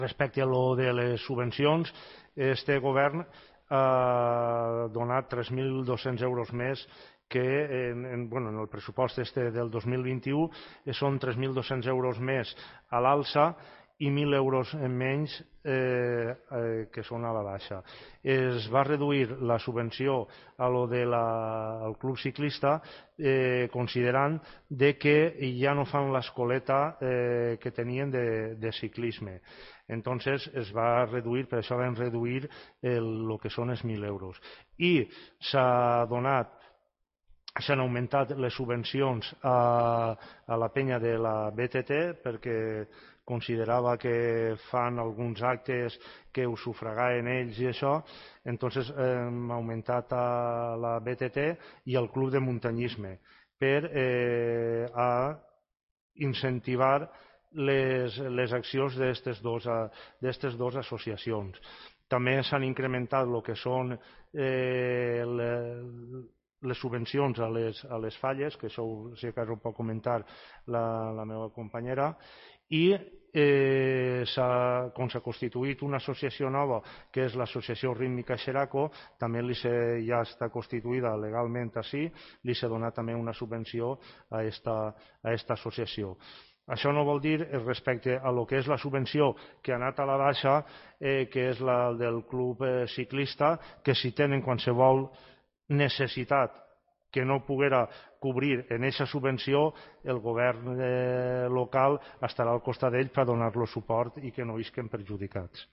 Respecte a lo de les subvencions, este govern ha donat 3.200 euros més que en el pressupost del 2021 són 3.200 euros més a l'alça i 1.000 euros menys que són a la baixa. Es va reduir la subvenció a lo del club ciclista considerant que ja no fan l'escoleta que tenien de ciclisme. Entonces es va reduir, per això vam reduir el que són els 1.000 euros. I s'han augmentat les subvencions a la penya de la BTT perquè considerava que fan alguns actes que ho sufragaven ells i això, entonces hem augmentat a la BTT i al club de muntanyisme per incentivar les accions d'aquestes dues associacions. També s'han incrementat el que són les subvencions a les falles, que això si acaso ho pot comentar la meva companyera, i com s'ha constituït una associació nova, que és l'associació rítmica Xeraco, també ja està constituïda legalment així, li s'ha donat també una subvenció a aquesta associació. Això no vol dir, respecte a lo que és la subvenció que ha anat a la baixa, que és la del club ciclista, que si tenen qualsevol necessitat que no poguera cobrir en aquesta subvenció, el govern local estarà al costat d'ells per donar-los suport i que no isquen perjudicats.